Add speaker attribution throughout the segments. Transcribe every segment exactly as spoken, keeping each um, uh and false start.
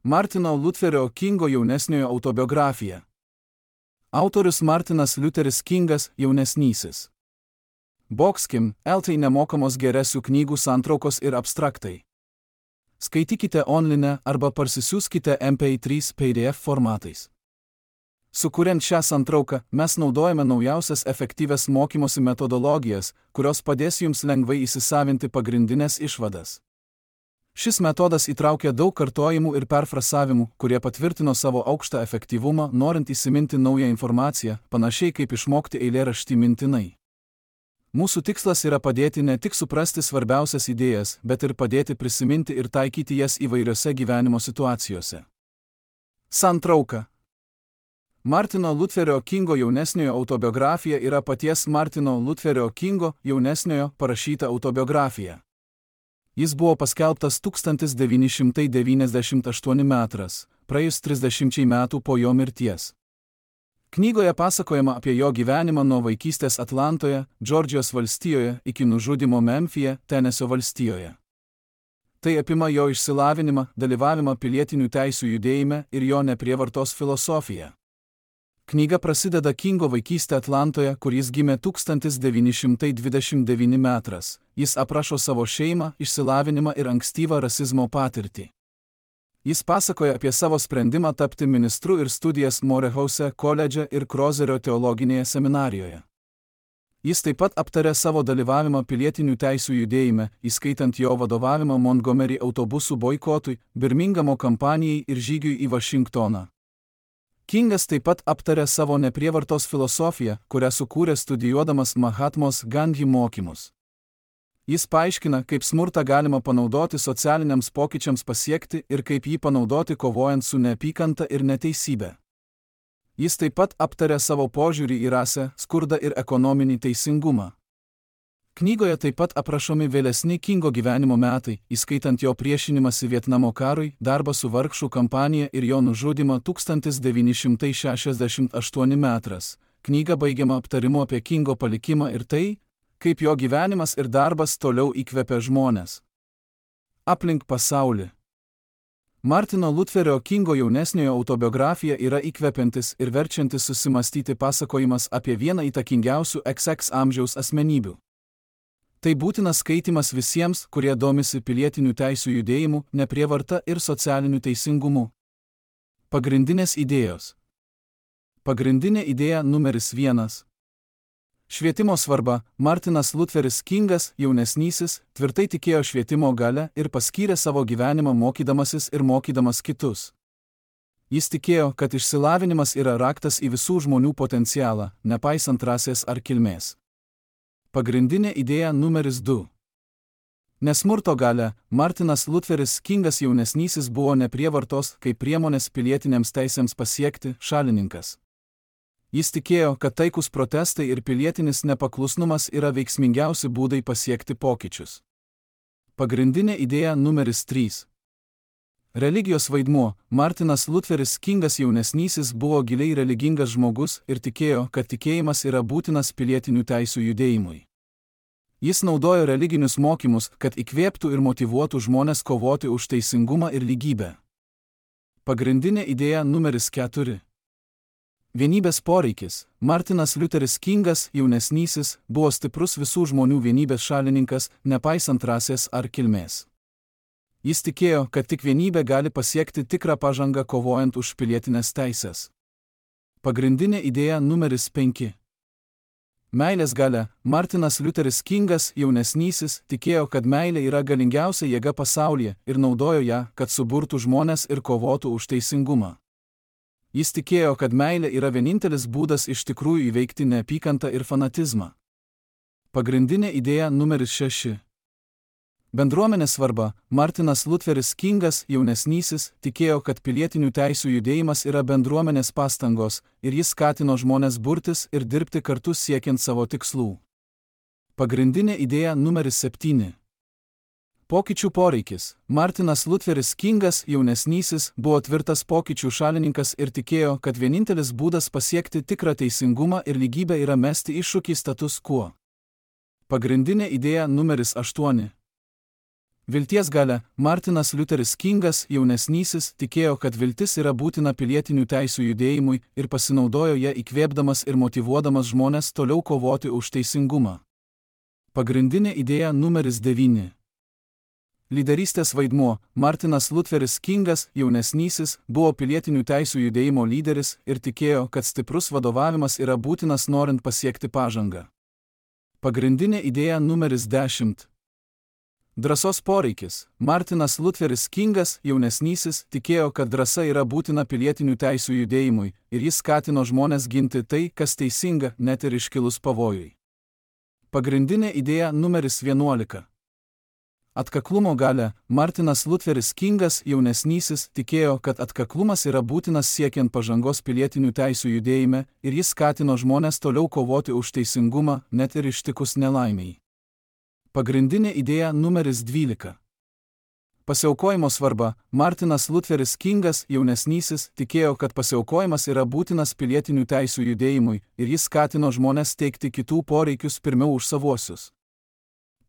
Speaker 1: Martino Lutherio Kingo jaunesniojo autobiografija. Autorius Martinas Liuteris Kingas jaunesnysis. Boxkim, eltai nemokamos geresių knygų santraukos ir abstraktai. Skaitykite online arba parsisiųskite M P trys P D F formatais. Sukuriant šią santrauką, mes naudojame naujausias efektyvias mokymosi metodologijas, kurios padės jums lengvai įsisavinti pagrindinės išvadas. Šis metodas įtraukia daug kartojimų ir perfrasavimų, kurie patvirtino savo aukštą efektyvumą, norint įsiminti naują informaciją, panašiai kaip išmokti eilėraštį mintinai. Mūsų tikslas yra padėti ne tik suprasti svarbiausias idėjas, bet ir padėti prisiminti ir taikyti jas įvairiose gyvenimo situacijose. Santrauka. Martino Lutherio Kingo jaunesniojo autobiografija yra paties Martino Lutherio Kingo jaunesniojo parašyta autobiografija. Jis buvo paskelbtas tūkstantis devyni šimtai devyniasdešimt aštuoni metras, praėjus trisdešimčiai metų po jo mirties. Knygoje pasakojama apie jo gyvenimą nuo vaikystės Atlantoje, Džordžijos valstijoje, iki nužudymo Memfyje, Tenesio valstijoje. Tai apima jo išsilavinimą, dalyvavimą pilietinių teisių judėjime ir jo neprievartos filosofiją. Knyga prasideda Kingo vaikystė Atlantoje, kur jis gimė tūkstantis devyni šimtai dvidešimt devyni metras. Jis aprašo savo šeimą, išsilavinimą ir ankstyvą rasizmo patirtį. Jis pasakoja apie savo sprendimą tapti ministru ir studijas Morehouse koledže ir Krozerio teologinėje seminarijoje. Jis taip pat aptarė savo dalyvavimą pilietinių teisių judėjime, įskaitant jo vadovavimą Montgomery autobusų boikotui, Birmingamo kampanijai ir žygiui į Vašingtoną. Kingas taip pat aptarė savo neprievartos filosofiją, kurią sukūrė studijuodamas Mahatmos Gandhi mokymus. Jis paaiškina, kaip smurtą galima panaudoti socialiniams pokyčiams pasiekti ir kaip jį panaudoti kovojant su neapykanta ir neteisybė. Jis taip pat aptarė savo požiūrį į rasę, skurdą ir ekonominį teisingumą. Knygoje taip pat aprašomi vėlesni Kingo gyvenimo metai, įskaitant jo priešinimąsi Vietnamo karui, darbą su vargšų kampanija ir jo nužudymą tūkstantis devyni šimtai šešiasdešimt aštuoni metras. Knyga baigiama aptarimu apie Kingo palikimą ir tai, kaip jo gyvenimas ir darbas toliau įkvepia žmones. Aplink pasaulį. Martino Lutherio Kingo jaunesniojo autobiografija yra įkvepiantis ir verčiantis susimastyti pasakojimas apie vieną įtakingiausių X X amžiaus asmenybių. Tai būtinas skaitimas visiems, kurie domisi pilietinių teisių judėjimu, neprievarta ir socialiniu teisingumu. Pagrindinės idėjos. Pagrindinė idėja numeris vienas. Švietimo svarba. Martinas Lutheris Kingas, jaunesnysis, tvirtai tikėjo švietimo galia ir paskyrė savo gyvenimą mokydamasis ir mokydamas kitus. Jis tikėjo, kad išsilavinimas yra raktas į visų žmonių potencialą, nepaisant rasės ar kilmės. Pagrindinė idėja numeris du. Nesmurto galia. Martinas Lutheris Kingas jaunesnysis buvo neprievartos kaip priemonės pilietinėms teisėms pasiekti šalininkas. Jis tikėjo, kad taikus protestai ir pilietinis nepaklusnumas yra veiksmingiausi būdai pasiekti pokyčius. Pagrindinė idėja numeris trys. Religijos vaidmuo. Martinas Lutheris Kingas jaunesnysis buvo giliai religingas žmogus ir tikėjo, kad tikėjimas yra būtinas pilietinių teisių judėjimui. Jis naudojo religinius mokymus, kad įkvėptų ir motyvuotų žmones kovoti už teisingumą ir lygybę. Pagrindinė idėja numeris keturi. Vienybės poreikis. Martinas Liuteris Kingas jaunesnysis buvo stiprus visų žmonių vienybės šalininkas, nepaisant rasės ar kilmės. Jis tikėjo, kad tik vienybė gali pasiekti tikrą pažangą kovojant už pilietinės teisės. Pagrindinė idėja numeris penki. Meilės galia. Martinas Liuteris Kingas jaunesnysis tikėjo, kad meilė yra galingiausia jėga pasaulyje ir naudojo ją, kad suburtų žmones ir kovotų už teisingumą. Jis tikėjo, kad meilė yra vienintelis būdas iš tikrųjų įveikti neapykantą ir fanatizmą. Pagrindinė idėja numeris šeši. Bendruomenės svarba. Martinas Lutheris Kingas jaunesnysis tikėjo, kad pilietinių teisių judėjimas yra bendruomenės pastangos ir jis skatino žmones burtis ir dirbti kartu siekiant savo tikslų. Pagrindinė idėja numeris septyni. Pokyčių poreikis. Martinas Lutheris Kingas jaunesnysis buvo tvirtas pokyčių šalininkas ir tikėjo, kad vienintelis būdas pasiekti tikrą teisingumą ir lygybę yra mesti iššūkį status quo. Pagrindinė idėja numeris aštuoni. Vilties galia. Martinas Liuteris Kingas, jaunesnysis, tikėjo, kad viltis yra būtina pilietinių teisių judėjimui ir pasinaudojo ją įkvėpdamas ir motyvuodamas žmones toliau kovoti už teisingumą. Pagrindinė idėja numeris devyni. Lyderystės vaidmuo. Martinas Liuteris Kingas, jaunesnysis, buvo pilietinių teisių judėjimo lyderis ir tikėjo, kad stiprus vadovavimas yra būtinas norint pasiekti pažangą. Pagrindinė idėja numeris dešimt. Drąsos poreikis. Martinas Liuteris Kingas, jaunesnysis, tikėjo, kad drąsa yra būtina pilietinių teisių judėjimui ir jis skatino žmones ginti tai, kas teisinga, net ir iškilus pavojui. Pagrindinė idėja numeris vienuolika. Atkaklumo galia. Martinas Liuteris Kingas, jaunesnysis, tikėjo, kad atkaklumas yra būtinas siekiant pažangos pilietinių teisių judėjime ir jis skatino žmones toliau kovoti už teisingumą, net ir ištikus nelaimiai. Pagrindinė idėja numeris dvylika. Pasiaukojimo svarba. Martinas Liuteris Kingas, jaunesnysis, tikėjo, kad pasiaukojimas yra būtinas pilietinių teisių judėjimui ir jis skatino žmones teikti kitų poreikius pirmiau už savuosius.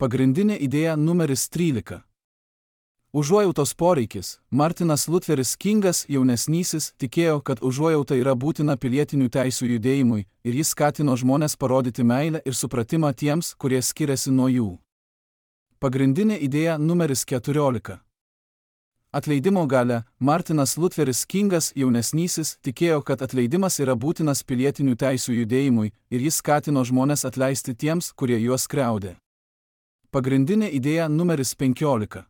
Speaker 1: Pagrindinė idėja numeris trylika. Užuojautos poreikis. Martinas Liuteris Kingas, jaunesnysis, tikėjo, kad užuojauta yra būtina pilietinių teisių judėjimui ir jis skatino žmones parodyti meilę ir supratimą tiems, kurie skiriasi nuo jų. Pagrindinė idėja numeris keturiolika. Atleidimo galia. Martinas Liuteris Kingas, jaunesnysis, tikėjo, kad atleidimas yra būtinas pilietinių teisių judėjimui ir jis skatino žmones atleisti tiems, kurie juos skriaudė. Pagrindinė idėja numeris penkiolika.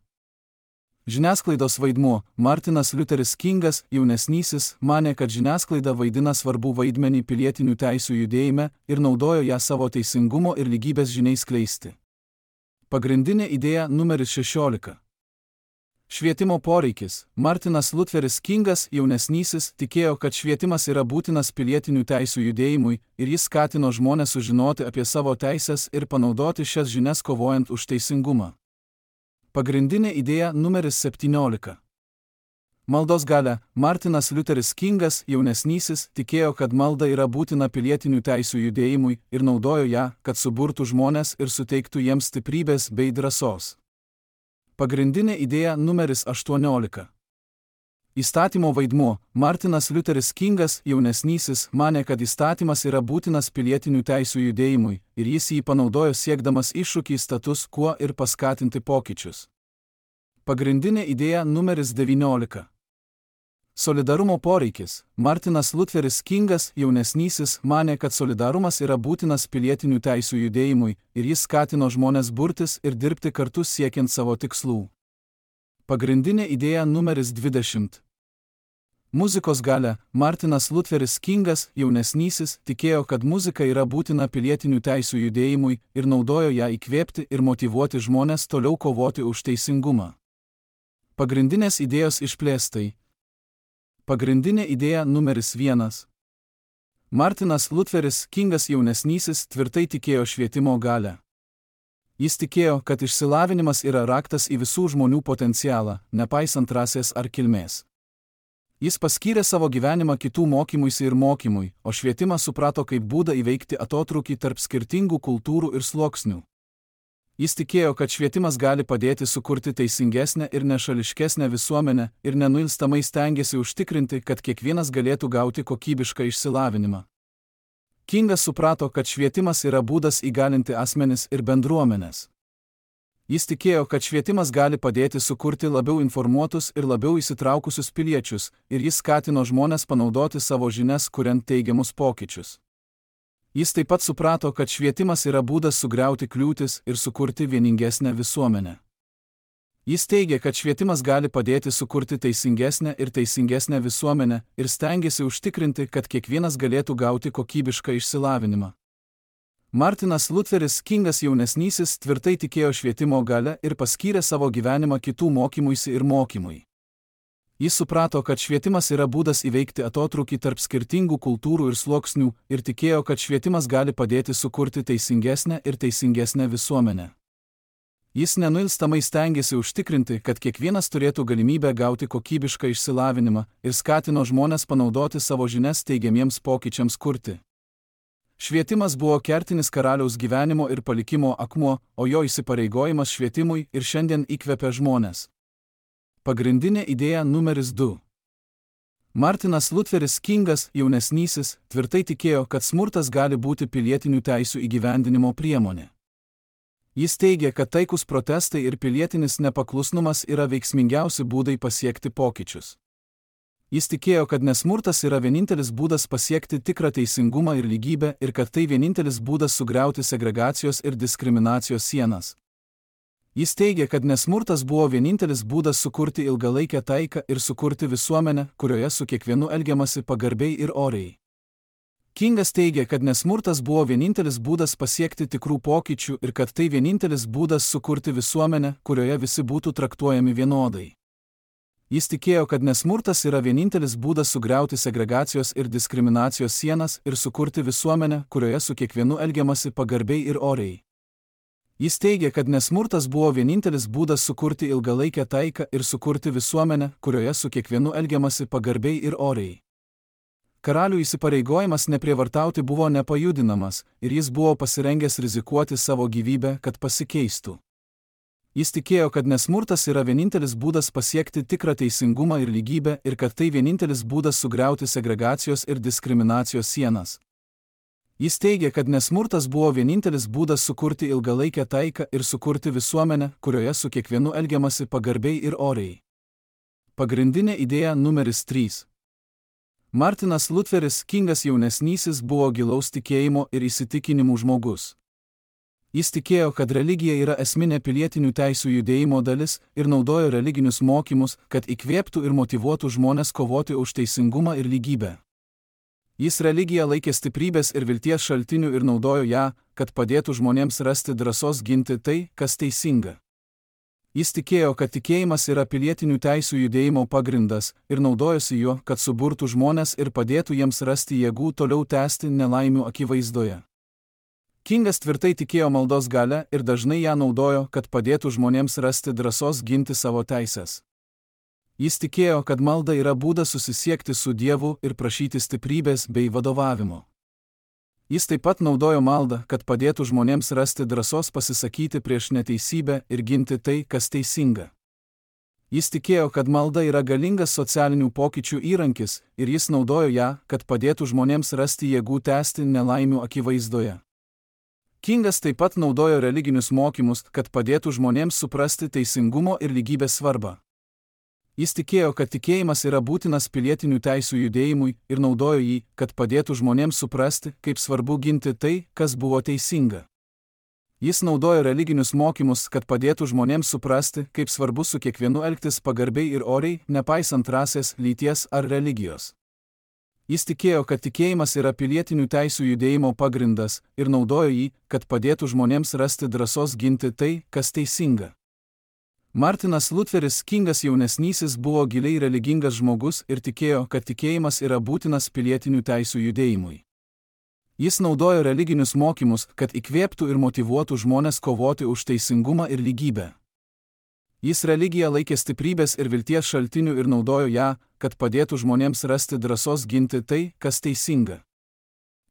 Speaker 1: Žiniasklaidos vaidmuo. Martinas Liuteris Kingas, jaunesnysis, manė, kad žiniasklaida vaidina svarbų vaidmenį pilietinių teisių judėjime ir naudojo ją savo teisingumo ir lygybės žiniai skleisti. Pagrindinė idėja numeris šešiolika. Švietimo poreikis. Martinas Liuteris Kingas, jaunesnysis, tikėjo, kad švietimas yra būtinas pilietinių teisių judėjimui ir jis skatino žmones sužinoti apie savo teises ir panaudoti šias žinias kovojant už teisingumą. Pagrindinė idėja numeris septyniolika. Maldos galia. Martinas Liuteris Kingas, jaunesnysis, tikėjo, kad malda yra būtina pilietinių teisių judėjimui ir naudojo ją, kad suburtų žmones ir suteiktų jiems stiprybės bei drąsos. Pagrindinė idėja numeris aštuoniolika. Įstatymo vaidmuo. Martinas Liuteris Kingas, jaunesnysis, manė, kad įstatymas yra būtinas pilietinių teisių judėjimui ir jis jį panaudojo siekdamas iššūkį status quo ir paskatinti pokyčius. Pagrindinė idėja numeris devyniolika. Solidarumo poreikis. Martinas Liuteris Kingas, jaunesnysis, manė, kad solidarumas yra būtinas pilietinių teisių judėjimui ir jis skatino žmones burtis ir dirbti kartu siekiant savo tikslų. Pagrindinė idėja numeris dvidešimt. Muzikos galia. Martinas Liuteris Kingas, jaunesnysis, tikėjo, kad muzika yra būtina pilietinių teisių judėjimui ir naudojo ją įkvėpti ir motyvuoti žmones toliau kovoti už teisingumą. Pagrindinės idėjos išplėstai. Pagrindinė idėja numeris vienas. Martinas Liuteris Kingas, jaunesnysis, tvirtai tikėjo švietimo galią. Jis tikėjo, kad išsilavinimas yra raktas į visų žmonių potencialą, nepaisant rasės ar kilmės. Jis paskyrė savo gyvenimą kitų mokymuisi ir mokymui, o švietimą suprato kaip būdą įveikti atotrūkį tarp skirtingų kultūrų ir sluoksnių. Jis tikėjo, kad švietimas gali padėti sukurti teisingesnę ir nešališkesnę visuomenę ir nenuilstamai stengėsi užtikrinti, kad kiekvienas galėtų gauti kokybišką išsilavinimą. Kingas suprato, kad švietimas yra būdas įgalinti asmenis ir bendruomenės. Jis tikėjo, kad švietimas gali padėti sukurti labiau informuotus ir labiau įsitraukusius piliečius, ir jis skatino žmones panaudoti savo žinias, kuriant teigiamus pokyčius. Jis taip pat suprato, kad švietimas yra būdas sugriauti kliūtis ir sukurti vieningesnę visuomenę. Jis teigė, kad švietimas gali padėti sukurti teisingesnę ir teisingesnę visuomenę ir stengėsi užtikrinti, kad kiekvienas galėtų gauti kokybišką išsilavinimą. Martinas Liuteris Kingas jaunesnysis tvirtai tikėjo švietimo galia ir paskyrė savo gyvenimą kitų mokymuisi ir mokymui. Jis suprato, kad švietimas yra būdas įveikti atotrūkį tarp skirtingų kultūrų ir sluoksnių ir tikėjo, kad švietimas gali padėti sukurti teisingesnę ir teisingesnę visuomenę. Jis nenuilstamai stengėsi užtikrinti, kad kiekvienas turėtų galimybę gauti kokybišką išsilavinimą ir skatino žmones panaudoti savo žinias teigiamiems pokyčiams kurti. Švietimas buvo kertinis karaliaus gyvenimo ir palikimo akmuo, o jo įsipareigojimas švietimui ir šiandien įkvepia žmones. Pagrindinė idėja numeris du. Martinas Lutheris Kingas, jaunesnysis, tvirtai tikėjo, kad smurtas gali būti pilietinių teisių įgyvendinimo priemonė. Jis teigia, kad taikus protestai ir pilietinis nepaklusnumas yra veiksmingiausi būdai pasiekti pokyčius. Jis tikėjo, kad nesmurtas yra vienintelis būdas pasiekti tikrą teisingumą ir lygybę ir kad tai vienintelis būdas sugriauti segregacijos ir diskriminacijos sienas. Jis teigia, kad nesmurtas buvo vienintelis būdas sukurti ilgalaikę taiką ir sukurti visuomenę, kurioje su kiekvienu elgiamasi pagarbiai ir oriai. Kingas teigia, kad nesmurtas buvo vienintelis būdas pasiekti tikrų pokyčių ir kad tai vienintelis būdas sukurti visuomenę, kurioje visi būtų traktuojami vienodai. Jis tikėjo, kad nesmurtas yra vienintelis būdas sugriauti segregacijos ir diskriminacijos sienas ir sukurti visuomenę, kurioje su kiekvienu elgiamasi pagarbiai ir oriai. Jis teigia, kad nesmurtas buvo vienintelis būdas sukurti ilgalaikę taiką ir sukurti visuomenę, kurioje su kiekvienu elgiamasi pagarbiai ir oriai. Karalių įsipareigojimas neprievartauti buvo nepajudinamas ir jis buvo pasirengęs rizikuoti savo gyvybę, kad pasikeistų. Jis tikėjo, kad nesmurtas yra vienintelis būdas pasiekti tikrą teisingumą ir lygybę ir kad tai vienintelis būdas sugriauti segregacijos ir diskriminacijos sienas. Jis teigia, kad nesmurtas buvo vienintelis būdas sukurti ilgalaikę taiką ir sukurti visuomenę, kurioje su kiekvienu elgiamasi pagarbiai ir oriai. Pagrindinė idėja numeris trys. Martinas Lutheris Kingas jaunesnysis buvo gilaus tikėjimo ir įsitikinimų žmogus. Jis tikėjo, kad religija yra esminė pilietinių teisių judėjimo dalis ir naudojo religinius mokymus, kad įkvėptų ir motyvuotų žmones kovoti už teisingumą ir lygybę. Jis religiją laikė stiprybės ir vilties šaltiniu ir naudojo ją, kad padėtų žmonėms rasti drąsos ginti tai, kas teisinga. Jis tikėjo, kad tikėjimas yra pilietinių teisių judėjimo pagrindas ir naudojosi juo, kad suburtų žmones ir padėtų jiems rasti jėgų toliau tęsti nelaimių akivaizdoje. Kingas tvirtai tikėjo maldos galia ir dažnai ją naudojo, kad padėtų žmonėms rasti drąsos ginti savo teises. Jis tikėjo, kad malda yra būdas susisiekti su Dievu ir prašyti stiprybės bei vadovavimo. Jis taip pat naudojo maldą, kad padėtų žmonėms rasti drąsos pasisakyti prieš neteisybę ir ginti tai, kas teisinga. Jis tikėjo, kad malda yra galingas socialinių pokyčių įrankis ir jis naudojo ją, kad padėtų žmonėms rasti jėgų tęsti nelaimių akivaizdoje. Kingas taip pat naudojo religinius mokymus, kad padėtų žmonėms suprasti teisingumo ir lygybės svarbą. Jis tikėjo, kad tikėjimas yra būtinas pilietinių teisių judėjimui ir naudojo jį, kad padėtų žmonėms suprasti, kaip svarbu ginti tai, kas buvo teisinga. Jis naudojo religinius mokymus, kad padėtų žmonėms suprasti, kaip svarbu su kiekvienu elgtis pagarbiai ir oriai, nepaisant rasės, lyties ar religijos. Jis tikėjo, kad tikėjimas yra pilietinių teisių judėjimo pagrindas ir naudojo jį, kad padėtų žmonėms rasti drąsos ginti tai, kas teisinga. Martinas Lutheris Kingas jaunesnysis buvo giliai religingas žmogus ir tikėjo, kad tikėjimas yra būtinas pilietinių teisių judėjimui. Jis naudojo religinius mokymus, kad įkvėptų ir motyvuotų žmones kovoti už teisingumą ir lygybę. Jis religiją laikė stiprybės ir vilties šaltiniu ir naudojo ją, kad padėtų žmonėms rasti drąsos ginti tai, kas teisinga.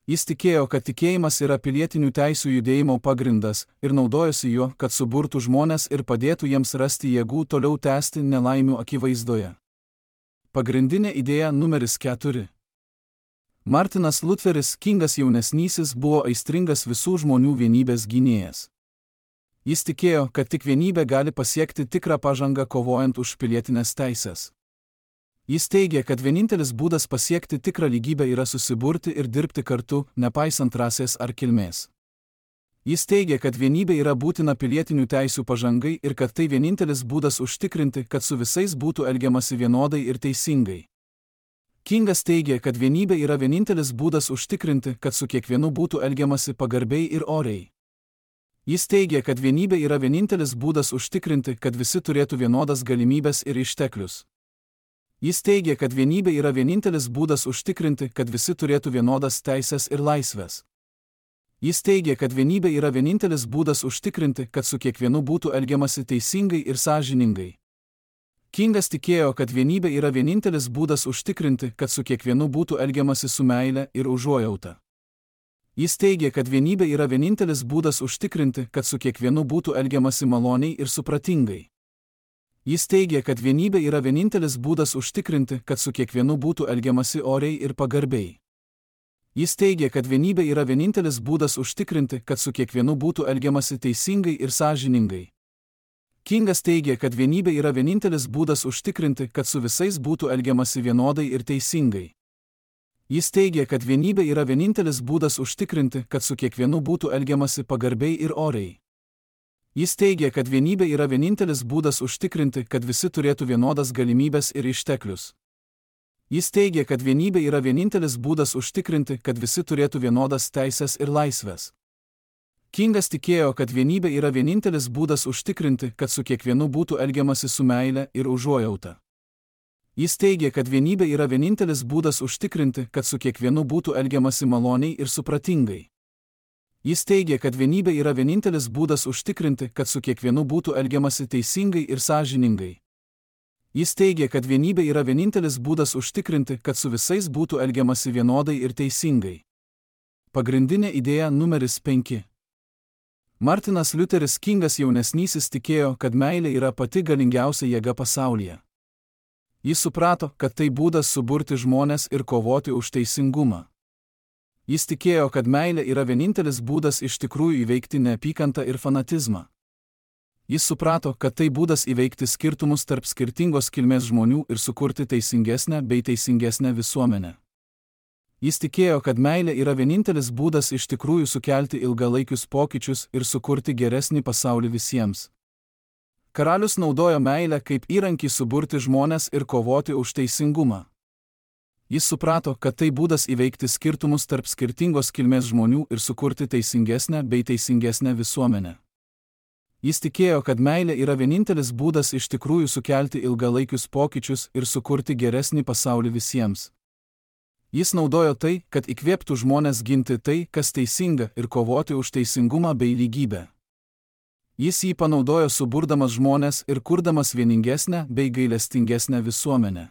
Speaker 1: Jis tikėjo, kad tikėjimas yra pilietinių teisių judėjimo pagrindas ir naudojosi juo, kad suburtų žmones ir padėtų jiems rasti jėgų toliau tęsti nelaimių akivaizdoje. Pagrindinė idėja numeris keturi. Martinas Lutheris Kingas jaunesnysis buvo aistringas visų žmonių vienybės gynėjas. Jis tikėjo, kad tik vienybė gali pasiekti tikrą pažangą kovojant už pilietinės teises. Jis teigė, kad vienintelis būdas pasiekti tikrą lygybę yra susiburti ir dirbti kartu, nepaisant rasės ar kilmės. Jis teigė, kad vienybė yra būtina pilietinių teisių pažangai ir kad tai vienintelis būdas užtikrinti, kad su visais būtų elgiamasi vienodai ir teisingai. Kingas teigė, kad vienybė yra vienintelis būdas užtikrinti, kad su kiekvienu būtų elgiamasi pagarbiai ir oriai. Jis teigė, kad vienybė yra vienintelis būdas užtikrinti, kad visi turėtų vienodas galimybės ir išteklius. Jis teigė, kad vienybė yra vienintelis būdas užtikrinti, kad visi turėtų vienodas teises ir laisves. Jis teigė, kad vienybė yra vienintelis būdas užtikrinti, kad su kiekvienu būtų elgiamasi teisingai ir sąžiningai. Kingas tikėjo, kad vienybė yra vienintelis būdas užtikrinti, kad su kiekvienu būtų elgiamasi su meile ir užuojauta. Jis teigė, kad vienybė yra vienintelis būdas užtikrinti, kad su kiekvienu būtų elgiamasi maloniai ir supratingai. Jis teigė, kad vienybė yra vienintelis būdas užtikrinti, kad su kiekvienu būtų elgiamasi oriai ir pagarbiai. Jis teigė, kad vienybė yra vienintelis būdas užtikrinti, kad su kiekvienu būtų elgiamasi teisingai ir sąžiningai. Kingas teigė, kad vienybė yra vienintelis būdas užtikrinti, kad su visais būtų elgiamasi vienodai ir teisingai. Jis teigė, kad vienybė yra vienintelis būdas užtikrinti, kad su kiekvienu būtų elgiamasi pagarbiai ir oriai. Jis teigė, kad vienybė yra vienintelis būdas užtikrinti, kad visi turėtų vienodas galimybės ir išteklius. Jis teigė, kad vienybė yra vienintelis būdas užtikrinti, kad visi turėtų vienodas teisės ir laisvės. Kingas tikėjo, kad vienybė yra vienintelis būdas užtikrinti, kad su kiekvienu būtų elgiamasi su meile ir užuojauta. Jis teigė, kad vienybė yra vienintelis būdas užtikrinti, kad su kiekvienu būtų elgiamasi maloniai ir supratingai. Jis teigė, kad vienybė yra vienintelis būdas užtikrinti, kad su kiekvienu būtų elgiamasi teisingai ir sąžiningai. Jis teigė, kad vienybė yra vienintelis būdas užtikrinti, kad su visais būtų elgiamasi vienodai ir teisingai. Pagrindinė idėja numeris penki. Martinas Liuteris Kingas jaunesnysis tikėjo, kad meilė yra pati galingiausia jėga pasaulyje. Jis suprato, kad tai būdas suburti žmones ir kovoti už teisingumą. Jis tikėjo, kad meilė yra vienintelis būdas iš tikrųjų įveikti neapykantą ir fanatizmą. Jis suprato, kad tai būdas įveikti skirtumus tarp skirtingos kilmės žmonių ir sukurti teisingesnę bei teisingesnę visuomenę. Jis tikėjo, kad meilė yra vienintelis būdas iš tikrųjų sukelti ilgalaikius pokyčius ir sukurti geresnį pasaulį visiems. Karalius naudojo meilę kaip įrankį suburti žmones ir kovoti už teisingumą. Jis suprato, kad tai būdas įveikti skirtumus tarp skirtingos kilmės žmonių ir sukurti teisingesnę bei teisingesnę visuomenę. Jis tikėjo, kad meilė yra vienintelis būdas iš tikrųjų sukelti ilgalaikius pokyčius ir sukurti geresnį pasaulį visiems. Jis naudojo tai, kad įkvėptų žmones ginti tai, kas teisinga, ir kovoti už teisingumą bei lygybę. Jis jį panaudojo suburdamas žmones ir kurdamas vieningesnę bei gailestingesnę visuomenę.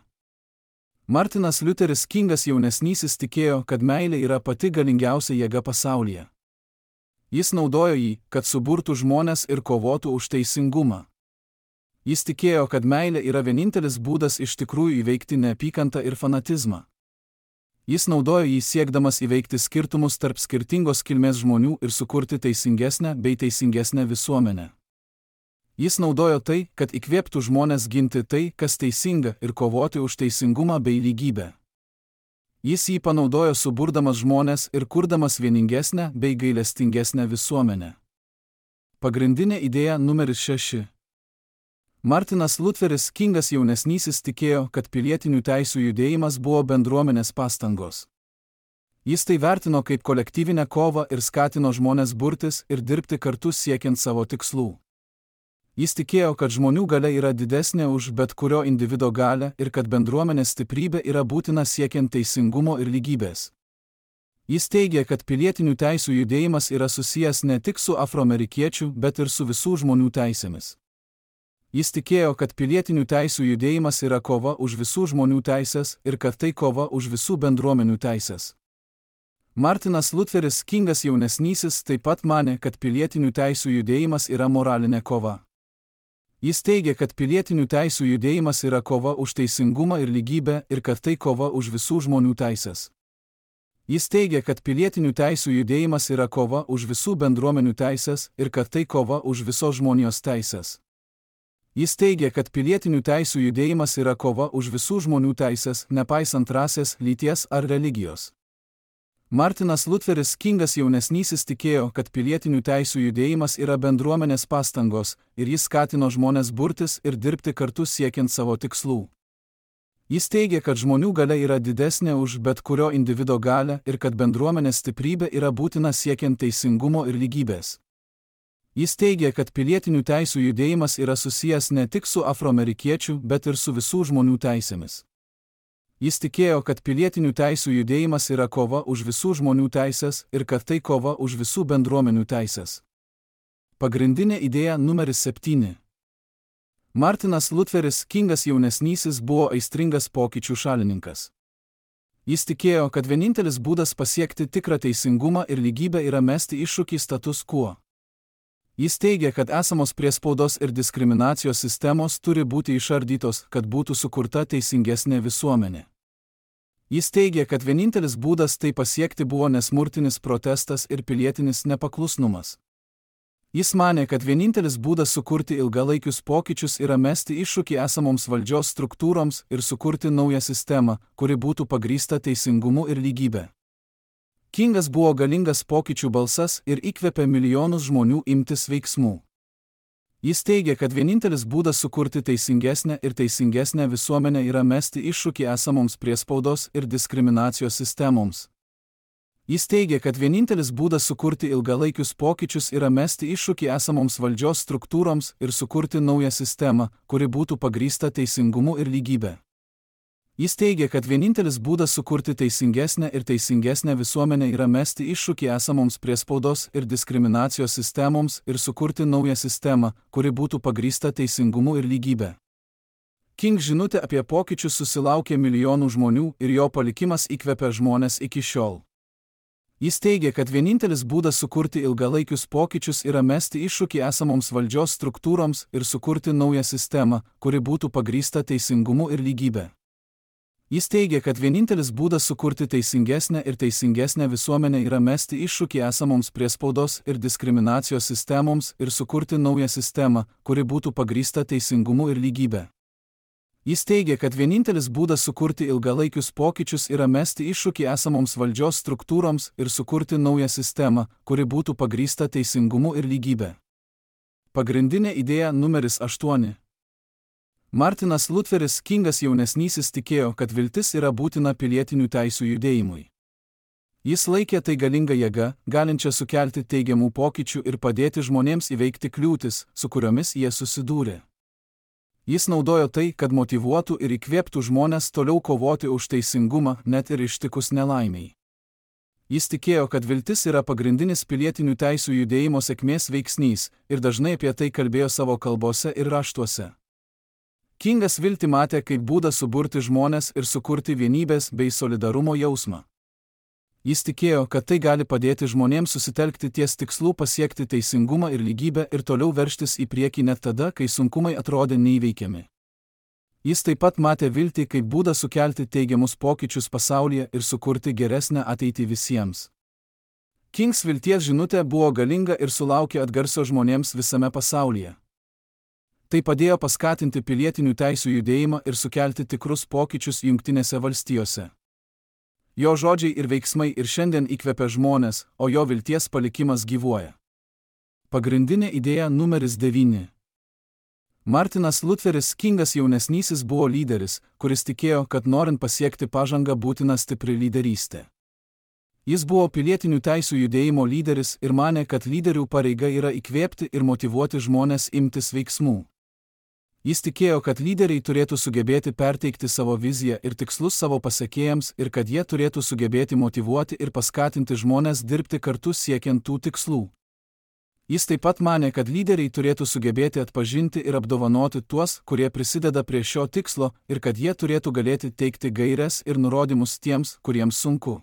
Speaker 1: Martinas Liuteris Kingas jaunesnysis tikėjo, kad meilė yra pati galingiausia jėga pasaulyje. Jis naudojo jį, kad suburtų žmones ir kovotų už teisingumą. Jis tikėjo, kad meilė yra vienintelis būdas iš tikrųjų įveikti neapykantą ir fanatizmą. Jis naudojo jį siekdamas įveikti skirtumus tarp skirtingos kilmės žmonių ir sukurti teisingesnę bei teisingesnę visuomenę. Jis naudojo tai, kad įkvėptų žmones ginti tai, kas teisinga, ir kovoti už teisingumą bei lygybę. Jis jį panaudojo suburdamas žmones ir kurdamas vieningesnę bei gailestingesnę visuomenę. Pagrindinė idėja numeris šeši. Martinas Liuteris Kingas jaunesnysis tikėjo, kad pilietinių teisių judėjimas buvo bendruomenės pastangos. Jis tai vertino kaip kolektyvinę kovą ir skatino žmones burtis ir dirbti kartu siekiant savo tikslų. Jis tikėjo, kad žmonių galia yra didesnė už bet kurio individo galią ir kad bendruomenės stiprybė yra būtina siekiant teisingumo ir lygybės. Jis teigė, kad pilietinių teisių judėjimas yra susijęs ne tik su afroamerikiečių, bet ir su visų žmonių teisėmis. Jis tikėjo, kad pilietinių teisių judėjimas yra kova už visų žmonių teisės ir kad tai kova už visų bendruomenių teisės. Martinas Liuteris Kingas jaunesnysis taip pat manė, kad pilietinių teisių judėjimas yra moralinė kova. Jis teigė, kad pilietinių teisių judėjimas yra kova už teisingumą ir lygybę ir kad tai kova už visų žmonių teisės. Jis teigė, kad pilietinių teisių judėjimas yra kova už visų bendruomenių teisės ir kad tai kova už visos žmonijos teisės. Jis teigė, kad pilietinių teisių judėjimas yra kova už visų žmonių teisės, nepaisant rasės, lyties ar religijos. Martinas Liuteris Kingas jaunesnysis tikėjo, kad pilietinių teisių judėjimas yra bendruomenės pastangos ir jis skatino žmones burtis ir dirbti kartu siekiant savo tikslų. Jis teigė, kad žmonių galia yra didesnė už bet kurio individo galią ir kad bendruomenės stiprybė yra būtina siekiant teisingumo ir lygybės. Jis teigė, kad pilietinių teisių judėjimas yra susijęs ne tik su afroamerikiečių, bet ir su visų žmonių teisėmis. Jis tikėjo, kad pilietinių teisių judėjimas yra kova už visų žmonių teisės ir kad tai kova už visų bendruomenių teisės. Pagrindinė idėja numeris septyni. Martinas Liuteris Kingas jaunesnysis buvo aistringas pokyčių šalininkas. Jis tikėjo, kad vienintelis būdas pasiekti tikrą teisingumą ir lygybę yra mesti iššūkį status quo. Jis teigia, kad esamos priespaudos ir diskriminacijos sistemos turi būti išardytos, kad būtų sukurta teisingesnė visuomenė. Jis teigia, kad vienintelis būdas tai pasiekti buvo nesmurtinis protestas ir pilietinis nepaklusnumas. Jis manė, kad vienintelis būdas sukurti ilgalaikius pokyčius yra mesti iššūkį esamoms valdžios struktūroms ir sukurti naują sistemą, kuri būtų pagrįsta teisingumu ir lygybė. Kingas buvo galingas pokyčių balsas ir įkvėpė milijonus žmonių imtis veiksmų. Jis teigia, kad vienintelis būdas sukurti teisingesnę ir teisingesnę visuomenę yra mesti iššūkį esamoms priespaudos ir diskriminacijos sistemoms. Jis teigia, kad vienintelis būdas sukurti ilgalaikius pokyčius yra mesti iššūkį esamoms valdžios struktūroms ir sukurti naują sistemą, kuri būtų pagrįsta teisingumu ir lygybė. Jis teigia, kad vienintelis būdas sukurti teisingesnę ir teisingesnę visuomenę yra mesti iššūkį esamoms priespaudos ir diskriminacijos sistemoms ir sukurti naują sistemą, kuri būtų pagrįsta teisingumu ir lygybė. King žinutė apie pokyčius susilaukė milijonų žmonių ir jo palikimas įkvepia žmones iki šiol. Jis teigia, kad vienintelis būdas sukurti ilgalaikius pokyčius yra mesti iššūkį esamoms valdžios struktūroms ir sukurti naują sistemą, kuri būtų pagrįsta teisingumu ir lygybė. Jis teigia, kad vienintelis būdas sukurti teisingesnę ir teisingesnę visuomenę yra mesti iššūkį esamoms priespaudos ir diskriminacijos sistemoms ir sukurti naują sistemą, kuri būtų pagrįsta teisingumu ir lygybė. Jis teigia, kad vienintelis būdas sukurti ilgalaikius pokyčius yra mesti iššūkį esamoms valdžios struktūroms ir sukurti naują sistemą, kuri būtų pagrįsta teisingumu ir lygybė. Pagrindinė idėja numeris aštuoni. Martinas Lutheris Kingas jaunesnysis tikėjo, kad viltis yra būtina pilietinių teisių judėjimui. Jis laikė tai galinga jėga, galinčia sukelti teigiamų pokyčių ir padėti žmonėms įveikti kliūtis, su kuriomis jie susidūrė. Jis naudojo tai, kad motyvuotų ir įkvėptų žmones toliau kovoti už teisingumą, net ir ištikus nelaimiai. Jis tikėjo, kad viltis yra pagrindinis pilietinių teisių judėjimo sėkmės veiksnys ir dažnai apie tai kalbėjo savo kalbose ir raštuose. Kingas viltį matė kaip būdą suburti žmones ir sukurti vienybės bei solidarumo jausmą. Jis tikėjo, kad tai gali padėti žmonėms susitelkti ties tikslu pasiekti teisingumą ir lygybę ir toliau veržtis į priekį net tada, kai sunkumai atrodė neįveikiami. Jis taip pat matė viltį kaip būdą sukelti teigiamus pokyčius pasaulyje ir sukurti geresnę ateitį visiems. Kings vilties žinutė buvo galinga ir sulaukė atgarsio žmonėms visame pasaulyje. Tai padėjo paskatinti pilietinių teisių judėjimą ir sukelti tikrus pokyčius Jungtinėse valstijose. Jo žodžiai ir veiksmai ir šiandien įkvepia žmones, o jo vilties palikimas gyvuoja. Pagrindinė idėja numeris devyni. Martinas Lutheris Kingas jaunesnysis buvo lyderis, kuris tikėjo, kad norint pasiekti pažangą būtina stipri lyderystė. Jis buvo pilietinių teisių judėjimo lyderis ir manė, kad lyderių pareiga yra įkvėpti ir motyvuoti žmones imtis veiksmų. Jis tikėjo, kad lyderiai turėtų sugebėti perteikti savo viziją ir tikslus savo pasekėjams ir kad jie turėtų sugebėti motyvuoti ir paskatinti žmones dirbti kartu siekiant tų tikslų. Jis taip pat manė, kad lyderiai turėtų sugebėti atpažinti ir apdovanoti tuos, kurie prisideda prie šio tikslo ir kad jie turėtų galėti teikti gaires ir nurodymus tiems, kuriems sunku.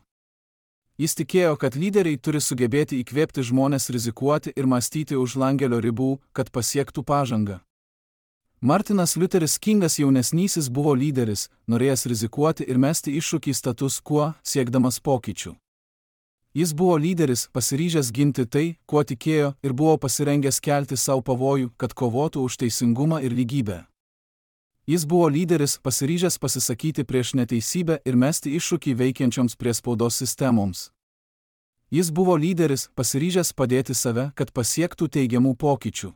Speaker 1: Jis tikėjo, kad lyderiai turi sugebėti įkvėpti žmones rizikuoti ir mąstyti už langelio ribų, kad pasiektų pažangą. Martinas Lutheris Kingas jaunesnysis buvo lyderis, norėjęs rizikuoti ir mesti iššūkį status quo, siekdamas pokyčių. Jis buvo lyderis, pasiryžęs ginti tai, kuo tikėjo, ir buvo pasirengęs kelti savo pavojų, kad kovotų už teisingumą ir lygybę. Jis buvo lyderis, pasiryžęs pasisakyti prieš neteisybę ir mesti iššūkį veikiančioms priespaudos sistemoms. Jis buvo lyderis, pasiryžęs padėti save, kad pasiektų teigiamų pokyčių.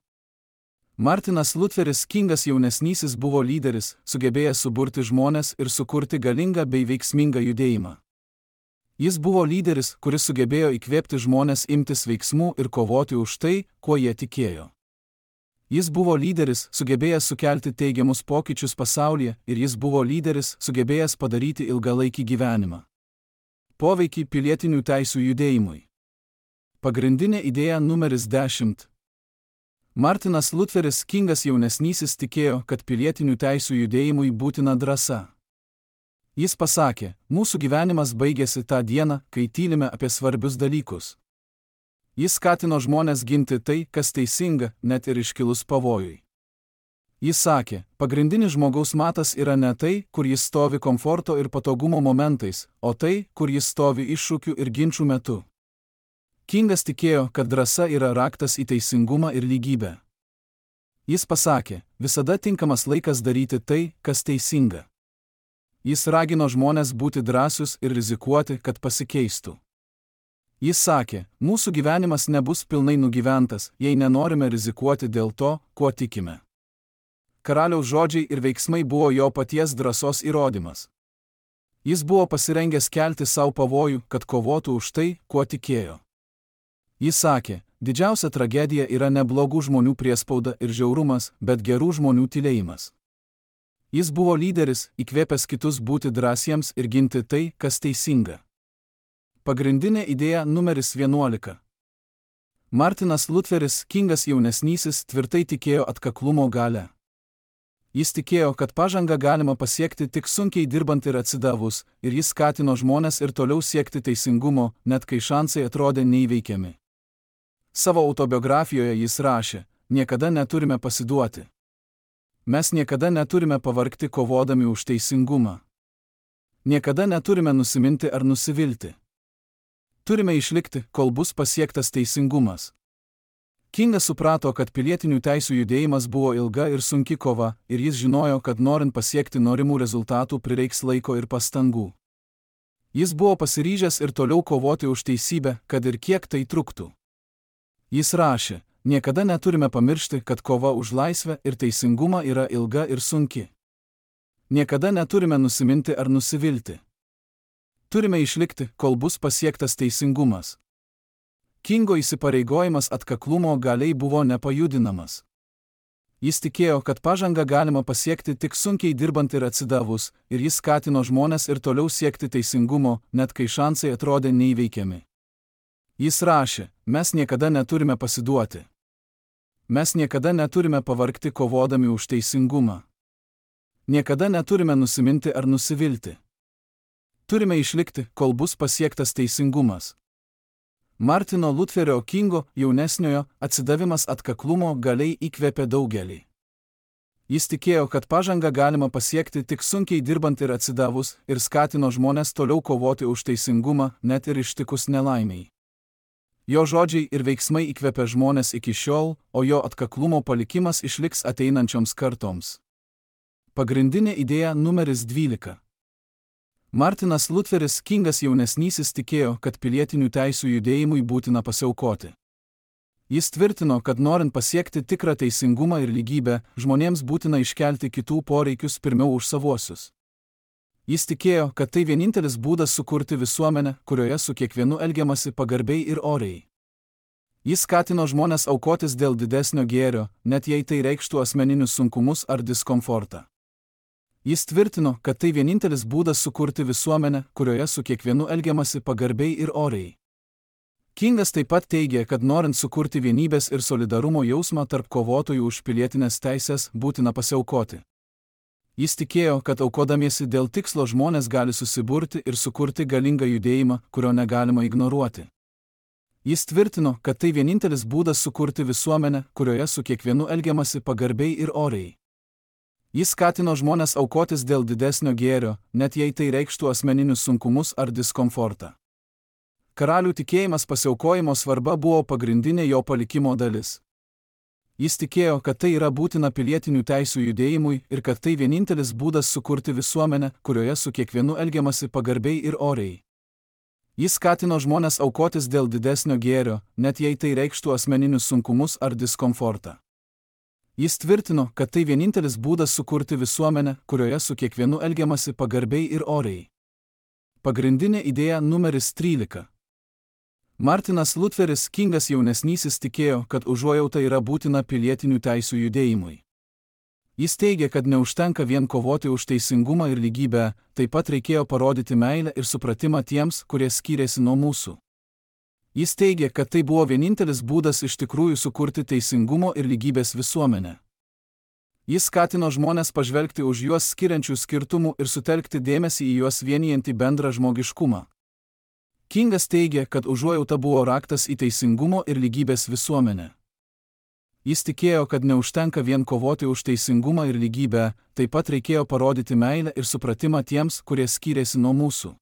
Speaker 1: Martinas Lutheris Kingas jaunesnysis buvo lyderis, sugebėjęs suburti žmones ir sukurti galingą bei veiksmingą judėjimą. Jis buvo lyderis, kuris sugebėjo įkvėpti žmones imtis veiksmų ir kovoti už tai, kuo jie tikėjo. Jis buvo lyderis, sugebėjęs sukelti teigiamus pokyčius pasaulyje, ir jis buvo lyderis, sugebėjęs padaryti ilgalaikį gyvenimą. Poveikį pilietinių teisių judėjimui. Pagrindinė idėja numeris dešimt. Martinas Lutheris Kingas jaunesnysis tikėjo, kad pilietinių teisių judėjimui būtina drąsa. Jis pasakė, mūsų gyvenimas baigėsi tą dieną, kai tylime apie svarbius dalykus. Jis skatino žmones ginti tai, kas teisinga, net ir iškilus pavojui. Jis sakė, pagrindinis žmogaus matas yra ne tai, kur jis stovi komforto ir patogumo momentais, o tai, kur jis stovi iššūkių ir ginčių metu. Kingas tikėjo, kad drąsa yra raktas į teisingumą ir lygybę. Jis pasakė, visada tinkamas laikas daryti tai, kas teisinga. Jis ragino žmones būti drąsius ir rizikuoti, kad pasikeistų. Jis sakė, mūsų gyvenimas nebus pilnai nugyventas, jei nenorime rizikuoti dėl to, kuo tikime. Karaliaus žodžiai ir veiksmai buvo jo paties drąsos įrodymas. Jis buvo pasirengęs kelti savo pavojų, kad kovotų už tai, kuo tikėjo. Jis sakė, didžiausia tragedija yra ne blogų žmonių priespauda ir žiaurumas, bet gerų žmonių tylėjimas. Jis buvo lyderis, įkvėpęs kitus būti drąsiems ir ginti tai, kas teisinga. Pagrindinė idėja numeris vienuolika. Martinas Lutheris Kingas jaunesnysis tvirtai tikėjo atkaklumo galia. Jis tikėjo, kad pažangą galima pasiekti tik sunkiai dirbant ir atsidavus, ir jis skatino žmones ir toliau siekti teisingumo, net kai šansai atrodė neįveikiami. Savo autobiografijoje jis rašė, niekada neturime pasiduoti. Mes niekada neturime pavargti kovodami už teisingumą. Niekada neturime nusiminti ar nusivilti. Turime išlikti, kol bus pasiektas teisingumas. Kingas suprato, kad pilietinių teisių judėjimas buvo ilga ir sunki kova, ir jis žinojo, kad norint pasiekti norimų rezultatų prireiks laiko ir pastangų. Jis buvo pasiryžęs ir toliau kovoti už teisybę, kad ir kiek tai truktų. Jis rašė, niekada neturime pamiršti, kad kova už laisvę ir teisingumą yra ilga ir sunki. Niekada neturime nusiminti ar nusivilti. Turime išlikti, kol bus pasiektas teisingumas. Kingo įsipareigojimas atkaklumo galiai buvo nepajudinamas. Jis tikėjo, kad pažangą galima pasiekti tik sunkiai dirbant ir atsidavus, ir jis skatino žmones ir toliau siekti teisingumo, net kai šansai atrodė neįveikiami. Jis rašė, mes niekada neturime pasiduoti. Mes niekada neturime pavargti kovodami už teisingumą. Niekada neturime nusiminti ar nusivilti. Turime išlikti, kol bus pasiektas teisingumas. Martino Lutherio Kingo jaunesniojo atsidavimas atkaklumo galiai įkvėpė daugelį. Jis tikėjo, kad pažangą galima pasiekti tik sunkiai dirbant ir atsidavus, ir skatino žmones toliau kovoti už teisingumą, net ir ištikus nelaimiai. Jo žodžiai ir veiksmai įkvėpė žmones iki šiol, o jo atkaklumo palikimas išliks ateinančioms kartoms. Pagrindinė idėja numeris dvylika. Martinas Lutheris Kingas jaunesnysis tikėjo, kad pilietinių teisių judėjimui būtina pasiaukoti. Jis tvirtino, kad norint pasiekti tikrą teisingumą ir lygybę, žmonėms būtina iškelti kitų poreikius pirmiau už savuosius. Jis tikėjo, kad tai vienintelis būdas sukurti visuomenę, kurioje su kiekvienu elgiamasi pagarbiai ir oriai. Jis skatino žmones aukotis dėl didesnio gėrio, net jei tai reikštų asmeninius sunkumus ar diskomfortą. Jis tvirtino, kad tai vienintelis būdas sukurti visuomenę, kurioje su kiekvienu elgiamasi pagarbiai ir oriai. Kingas taip pat teigė, kad norint sukurti vienybės ir solidarumo jausmą tarp kovotojų už pilietinės teisės, būtina pasiaukoti. Jis tikėjo, kad aukodamiesi dėl tikslo žmonės gali susiburti ir sukurti galingą judėjimą, kurio negalima ignoruoti. Jis tvirtino, kad tai vienintelis būdas sukurti visuomenę, kurioje su kiekvienu elgiamasi pagarbiai ir oriai. Jis skatino žmones aukotis dėl didesnio gėrio, net jei tai reikštų asmeninius sunkumus ar diskomfortą. Karalių tikėjimas pasiaukojimo svarba buvo pagrindinė jo palikimo dalis. Jis tikėjo, kad tai yra būtina pilietinių teisių judėjimui ir kad tai vienintelis būdas sukurti visuomenę, kurioje su kiekvienu elgiamasi pagarbiai ir oriai. Jis skatino žmones aukotis dėl didesnio gėrio, net jei tai reikštų asmeninius sunkumus ar diskomfortą. Jis tvirtino, kad tai vienintelis būdas sukurti visuomenę, kurioje su kiekvienu elgiamasi pagarbiai ir oriai. Pagrindinė idėja numeris trylika. Martinas Lutheris Kingas jaunesnysis tikėjo, kad užuojauta yra būtina pilietinių teisių judėjimui. Jis teigė, kad neužtenka vien kovoti už teisingumą ir lygybę, taip pat reikėjo parodyti meilę ir supratimą tiems, kurie skyrėsi nuo mūsų. Jis teigė, kad tai buvo vienintelis būdas iš tikrųjų sukurti teisingumo ir lygybės visuomenę. Jis skatino žmones pažvelgti už juos skiriančių skirtumų ir sutelkti dėmesį į juos vienijantį bendrą žmogiškumą. Kingas teigia, kad užuojauta buvo raktas į teisingumo ir lygybės visuomenę. Jis tikėjo, kad neužtenka vien kovoti už teisingumą ir lygybę, taip pat reikėjo parodyti meilę ir supratimą tiems, kurie skyrėsi nuo mūsų.